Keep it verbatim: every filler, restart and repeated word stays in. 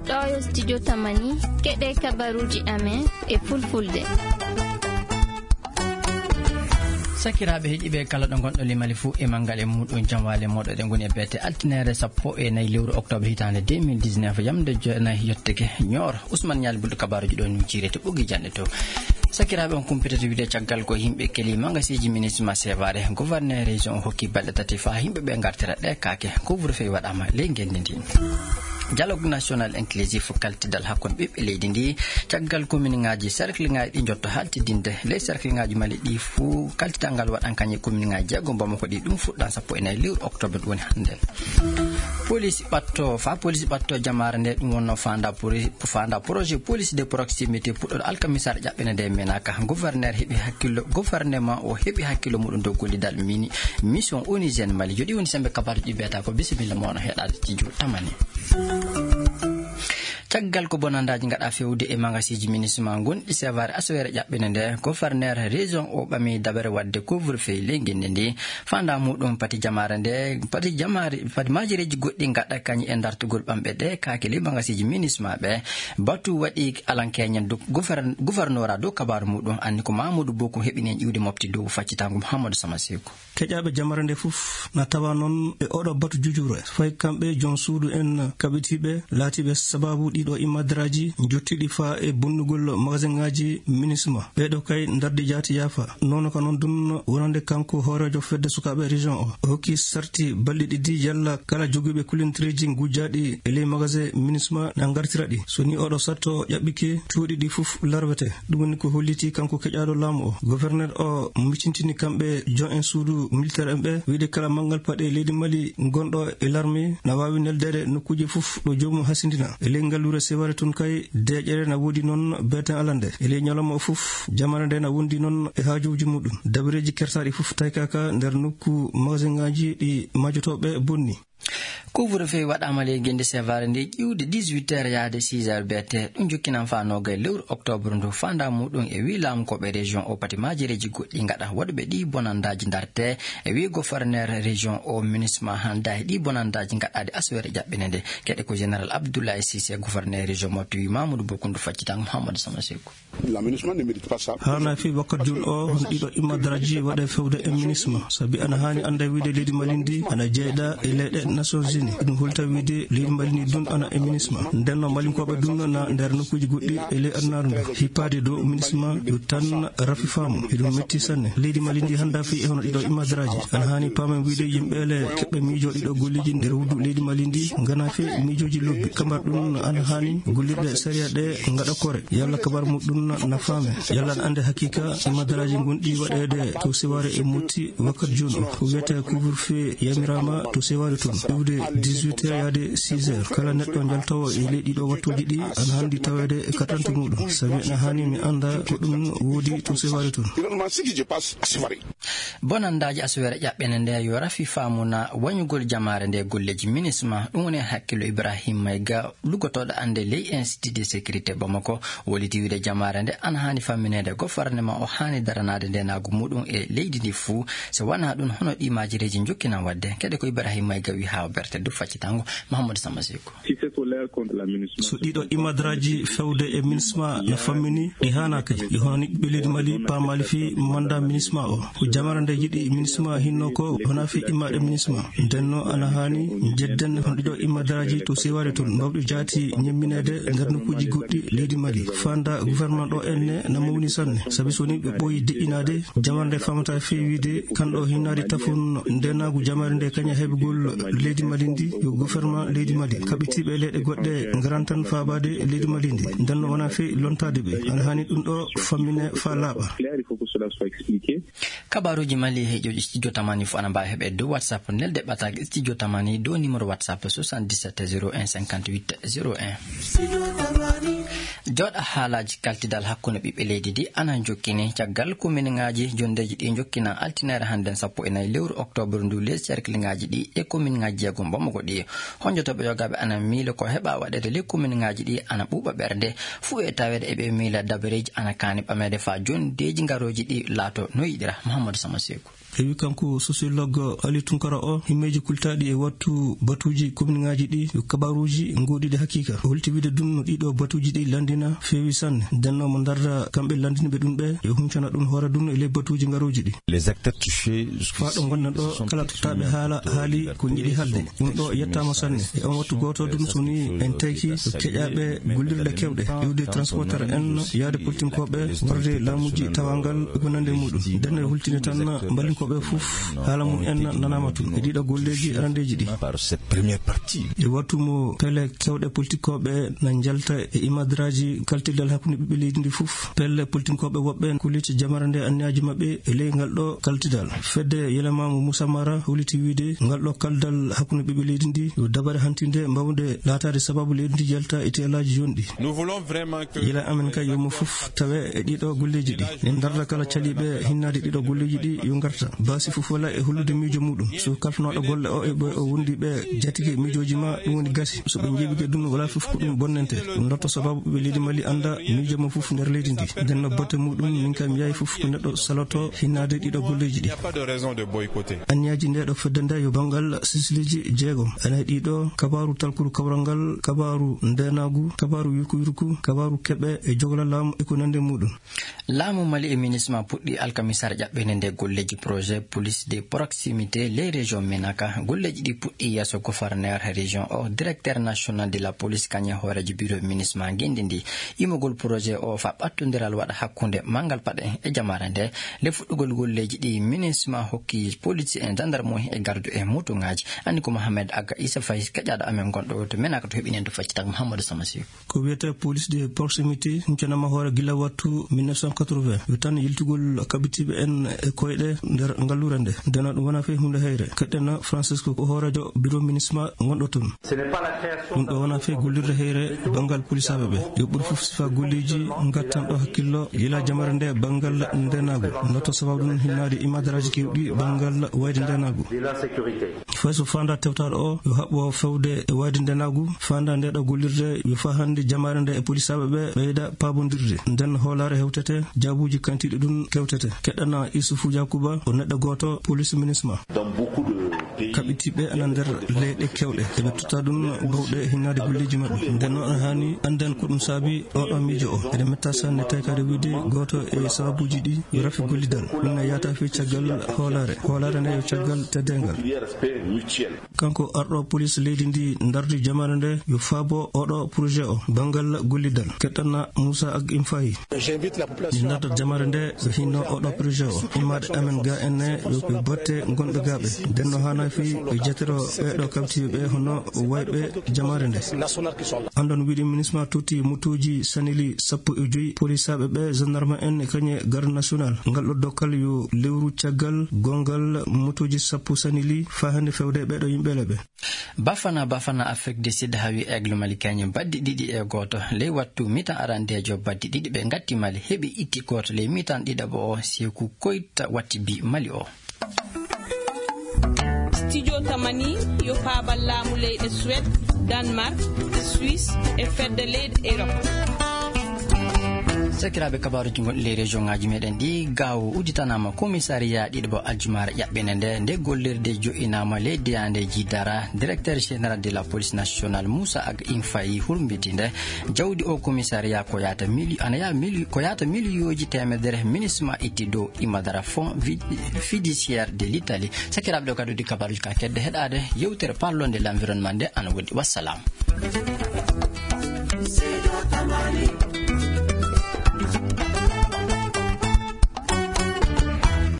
Ɗo yo studio Tamani, keɗe kabaruuji amen e fulfulde. Sakiraaɓe heɗiiɓe kala ɗo ngonɗo limali fuu e manngal e muuɗum, jam waale mooɗo. Eɗen ngoni e beete altineere sappo e nayi lewru octobre hitaande deux mille dix-neuf, yamde jeenayi yotteke Nioro. Ousmane Ñaali Bulɗo kabaruuji ɗo ni cirete ɓoggi janɗe to. Sakiraaɓe, on kumpitata wiide caggal ko yimɓe keli magasiiji ministre ma sevare, gouverneur région o hokki balɗe tati faa yimɓe ɓe ngartira ɗe kaake. Couvre-feu waɗaama ley ngenndi ndi. Dialogue national inclusif, kaltidal hakkunde ɓiɓɓe leydi ndi, caggal commune ŋaaji, cercle ŋaaji ɗi njotto haltidinde. Ley cercle ŋaaji Mali ɗi fuu, kaltidal ngal waɗan kañe commune ŋaaji jeego Bamako ɗi, ɗum fuɗɗan sappo e nayi lewru octobre ɗum woni hannde. Police ɓatto, fa police ɓatto jamaare nde, ɗum wonno fanda poli-, fanda projet police de proximité puɗɗoɗo alkamisaare ƴaɓɓene nde menaka. Gouverneur heɓi hakkillo, gouvernement o heɓi hakkillo muɗum dow gollidal mini, mission onusien Mali. Joɗi woni sembe kabaruji ɗi mbiyata ko bisimilla mono heɗade studio Tamani. Caggal ko bonandaaji ngaɗa fewde e magasiiji ministre ma gonɗi sevare aswere ƴaɓɓene nde, gouverneur région o ɓami dabere waɗde couvre-feu ley ngenndi ndi. Fanda muɗum pati jamaare nde, pati jamaare, pati maajereeji goɗɗi ngaɗa kañi e dartugol ɓamɓe ɗe kaake ley magasiiji ministre ma ɓe. Batu waɗi alankeñen dow gouvern-, gouverneur a dow kabaaru muɗum, anni ko Mamadou Bokum heɓini en iwde mofti dow faccitango Mouhamadou Sama Seku. Keƴaaɓe jamare nde fof na tawa noon e oɗo batu jujure, fayi kamɓe joom suudu en kaɓitiiɓe laatiiɓe sabaabu ɗiɗo immadaraaji jottiiɗi faa e bonnugol magasin ŋaaji minisma. Ɓeeɗo kay ndardi jaati yaafa. Noon ka noon dun wonande kanko hooreejo fedde sukaaɓe région o. O hokki sarti balɗe ɗiɗi yalla kala jogiiɓe kulintireeji ngujjaaɗi e ley magasin minisma na ngartira ɗi. So ni oɗo sarto ƴaɓɓike, cuuɗi ɗi fof larwete. Ɗum woni ko holliti kanko keƴaaɗo laamu o. Gouverneur o micintini kamɓe jon en suudu militaire en ɓe, wiide kala manngal paɗe leydi Mali gonɗo e larme na waawi neldeede nokkuuji fof ɗo joomum hasindina. E ley ngalluure Seware tun kay, deeƴere na woodi noon beeten alande. E ley ñalawma o fof, jamane nde na wondi noon e haajuuji muɗum. Dabareeji kersaaɗi fof taykaka nder nokku magasin ŋaaji ɗi majotooɓe bonni. Couvre-feu waɗaama ley ngenndi Sevare ndi ƴiwde dix-huit heures yahde six heures B T. Ɗum jokkinan faa noogay lewru octobre ndu. Faandaa muɗum e wii laamukooɓe région o pati maajereeji goɗɗi ngaɗa waɗuɓe ɗi bonandaaji ndarte. E wii gouverneur région o minisma hanndaa e ɗi bonandaaji ngaɗaaɗi aswere ƴaɓɓene nde. Keɗe ko général Abdoulaye Cissé, gouverneur région mo tuwi Mamadou Bokundu faccitan Mouhamadou Sama Seku. La MINUSMA ne mérite pas ça. Haana fi wakkat jun o hon ɗiɗo immadaraaji waɗe fewde e MINUSMA. Sabi ana haani annda wiide leydi Mali ndi ana jeyɗa e leyɗe Nations Unies. Ɗum holta wiide leydi Mali ndi dun ana e MINUSMA. Ndenno Malinkoɓe dun na nder nokkuuji goɗɗi e ley adunaaru ndu. Hippaade dow MINUSMA ɗum tan rafi faamu. Eɗum metti sanne. Leydi Mali ndi hannda fi e hono ɗiɗo immadaraaji. Ana haani paamen wiide yimɓe le keɓɓe miijo ɗiɗo golleeji nder wuddu leydi Mali ndi ngana fi miijooji lobbi. Kambar ɗum ana haani gollirɗe sariya ɗe ngaɗa kore. Yalla kabar muɗum na faame. Yalla na ande haqiqa immadaraaji gonɗi waɗeede to Seware e Motti wakkat jun o. Ko wiyete couvre-feu yamiraama to Seware tun. Iwde dix-huit heures yaade six heures. Kala neɗɗo njaltawo e ley ɗiɗo wattuuji ɗi ana handi taweede e katante muɗum. Sabi ana haani mi anda ko ɗum woodi to Seware tun. Finalement, ce qui se passe à Sévaré. Bonandaaji aswere ƴaɓɓene nde yo rafi faamu na wañugol jamaare nde golleeji MINUSMA. Ɗum woni hakkillo Ibrahim Mayga, luggotooɗo annde ley Institut de Sécurité Bamako, woliti wiide jamaare nde ana haani fammineede gofarnema o haani daranaade ndenaagu muɗum e leydi ndi fuu. So wanaa ɗum, hono ɗi maajireeji njokkinan waɗde? Keɗe ko Ibrahim Mayga wi haa o berte dow faccitango Mahamadou Sama Seku. Si c'est colère contre la MINUSMA, so ɗiɗo imadraji fewde e MINUSMA no fammini, ɗi haanaka. Ɗi hono ni ɓe leydi Mali paamali fi manda MINUSMA o. Ko jamara nde yiɗi MINUSMA hinno ko wona fi immaɗe MINUSMA. Ndenno ana haani jedden hono ɗiɗo imadraji to Seware tun, mbawɗi jaati ñemminede nder nokkuuji goɗɗi leydi Mali. Fanda gouvernement ɗo enne na mawni sanne. Sabi so ni ɓe ɓooyi deƴƴinaade, jamara nde famata fewiide kanɗo hinnaade tafon ndenaagu jamare nde kaña heɓugol leydi Mali ndi, yo gouvernement leydi Mali. Kaɓitiiɓe leyɗe goɗɗe ngaran tan faabaade leydi Mali ndi. Ndenno wona fey lontaade ɓe. Ana haani ɗum ɗo fammine faa laaɓa. Clair, il faut que cela soit expliqué. Kabaruuji Mali e heƴoji Studio Tamani fof ana mbaawi heɓe dow WhatsApp. Nelde ɓataake Studio Tamani dow numéro WhatsApp soixante-dix-sept zéro un cinquante-huit zéro un. Jooɗa haalaaji kaltidal hakkunde ɓiɓɓe leydi ndi ana jokkini caggal kominŋaaji jonndeeji ɗi jokkina altinaare hannden sappo e nayi lewru oktoobar ndu les cercleŋaaji ɗi e kominŋaaji jeegom Bamako ɗi. Honjotooɓe yogaaɓe ana miilo ko heɓa waɗeede ley kominŋaaji ɗi ana ɓuuɓa ɓernde. Fuu e taweede eɓe miila dabareeji ana kaani ɓameede faa jonndeeji ngarooji ɗi laato no yiɗira. Mahamadou Sama Seku. E wi kanko sociologue Ali Tunkara o, himmeeji kultaaɗi e wattu batuuji kominŋaaji ɗi yo kabaaruuji ngoɗiiɗi hakiika. O holti wiide ɗum no ɗiɗo batuuji ɗi lanndina feewi sanne. Nden no mo ndarda kamɓe lanndinɓe ɗum ɓe, yo huncana ɗum hoore ɗum e ley batuuji ngarooji ɗi. Les acteurs touchés, faa ɗo ngonɗen ɗo, kala tottaaɓe haala haali ko njiɗi haalde. Ɗum ɗo yettaama sanne. E on wattu gooto ɗum, so ni en tayki keƴaaɓe gollirɗe keewɗe, iwde transporteur en, yaade politinkooɓe, warde laamuuji tawangal, e ko nandi e muɗum. Nden no e hultinde tan mballinkooɓe fof, haala mum en nanaama tun. E ɗiɗo golleeji arandeeji ɗi. Par cette première partie. E wattu mo pele keewɗe politinkooɓe na njalta e imadraaji kaltirdal hakkunde ɓiɓɓe leydi ndi fof. Pelle politinkooɓe woɓɓe kulliti jamare nde anniyaaji maɓɓe e ley ngal ɗo kaltidal. Fedde Yelema mo Moussa Mara holiti wiide ngal ɗo kaldal hakkunde ɓiɓɓe leydi ndi yo dabare hantinde mbawde laataade sababu leydi ndi yalta e teelaaji jonɗi. Nous voulons vraiment que Yila amen kay yo mo fof tawe e ɗiɗo golleeji ɗi. Ne ndarda kala caliiɓe hinnaade ɗiɗo golleeji ɗi yo ngarta. Baasi fof wala e hollude miijo muɗum. So kalfnooɗo golle o e ɓe o wondi ɓe jatike miijooji ma, ɗum woni gasi. So ɓe njeeɓike ɗum, wala fof ko ɗum bonnante. Ɗum lotto sababu ɓe leydi Mali annda miijo mo fof nder leydi ndi. Nden no botte muɗum, min kam yahi fof ko neɗɗo saloto hinnaade ɗiɗo golleeji ɗi. Il n'y a pas de raison de boycotter. Anniyaaji nde ɗo fedde nde yo banngal silsileeji jeegom. Ana e ɗiɗo: kabaaru talkuru kawral ngal, kabaaru ndeenaagu, kabaaru yurku yurku, kabaaru keɓe e jogla laamu e ko nandi e muɗum. Laamu Mali e minisma puɗɗi alkamisaare ƴaɓɓeende nde golleeji projet police de proximité les régions Menaka. Golleeji ɗi puɗɗi yeeso gouverneur région o, directeur national de la police, kañe hooreejo bureau minisma ngenndi ndi. Imogol projet o fa ɓattondiral waɗa hakkunde manngal paɗe e jamaare nde. Le fuɗɗugol golleeji ɗi, minisma hokki police en, gendarmerie e gardu e motuŋaaji. Anni ko Mohamed Aga Issa Faye, keƴaaɗo amen gonɗo to Menaka to heɓinen to faccital Mouhamadou Samasiw. Ko wiyetee police de proximité, huncanaama hoore gila wattu mille neuf cent quatre-vingts. Yo tan yiltugol kabitiiɓe en e koyɗe nder ngalluure nde. Ndena ɗum wonaa fey huunde heyre. Keɗɗena Francisco ko hooreejo bureau minisma gonɗo toon. Ɗum ɗo wonaa fey gollirde heyre banngal polisaaɓe ɓe. Yo ɓur fof sifa golleeji ngattan ɗo hakkillo yila jamare nde banngal ndenaagu. Notto sababu ɗum hinnaade imadaraaji keewɗi banngal wayde ndenaagu. Fay so faandaa tewtaaɗo o, yo haɓɓo fewde e wayde ndenaagu, faandaa nde ɗo gollirde, yo faa hannde jamaare nde e polisaaɓe ɓe ɓeyda paabondirde. Nden hoolaare hewtete, jaabuuji kantiiɗi ɗum kewtete. Keɗɗana Isufu Yakuba, o neɗɗo gooto, police minisma. Dans beaucoup de pays, kaɓitiiɓe ana nder leyɗe kewɗe, eɓe totta ɗum bawɗe hinnaade golleeji maɓɓe. Nden noon, ana haani annden ko ɗum saabi oɗo miijo o. Eɗen metta sanne, tawi kadi wiide gooto e sababuuji ɗi yo rafi gollidal. Ɗum ne yahata fii caggal hoolaare. Hoolaare nde yo caggal teddeengal. Kanko arɗo police leydi ndi ndardi jamaare nde yo faabo oɗo projet o banngal gollidal. Keɗɗana Moussa Ag Imfahi. Mi ndardat jamaare nde yo hinno oɗo projet o. Immaade amen ga en ne yo, yo batte gonɓe gaaɓe. Nden no haana fii yo jetoro ɓeeɗo kabtiiɓe ɓe hono wayɓe jamaare nde. Andon wiɗi minisma tuti mutuuji sanili sappo e joyi polisaaɓe ɓe, gendarme en e kañe garde national. Ngal ɗo dokkal yo lewru caggal gongal mutuuji sappo sanili faa hannde fewde ɓeeɗo yimɓe leɓe. Bafana Bafana Afrique du Sud hawi Aigle Mali kañum baddi ɗiɗi e gooto. Ley wattu mitan arandeejo baddi ɗiɗi ɓe ngatti Mali, heɓi itti gooto ley mitan ɗiɗaɓo o, Seeku Koyta watti bi Mali o. Studio Tamani yo faabal laamu leyɗe Suède, Danemark, Suisse e fedde leyɗe Europe. Sakiraaɓe, kabaaruuji gonɗi ley région ŋaaji meɗen ɗi, Gaawo udditanaama commissariat ɗiɗaɓo aljumaare ƴaɓɓinde nde. Nde gollirde jo'inaama ley deyaande Jidara. Directeur général de la police nationale Moussa Ag Infay hurmbiti nde. Jawdi o commissariat ko yaata mili-, ana yaha mili-, ko yaata miliyooji teemedere minisma itti dow imadara fonds vi-, fiduciaire de l'Italie. Sakiraaɓe, ɗo kadi woni kabaaruuji ka kedde heɗaade yewtere parlonde l'environnement nde ana woɗɗi. Wassalam.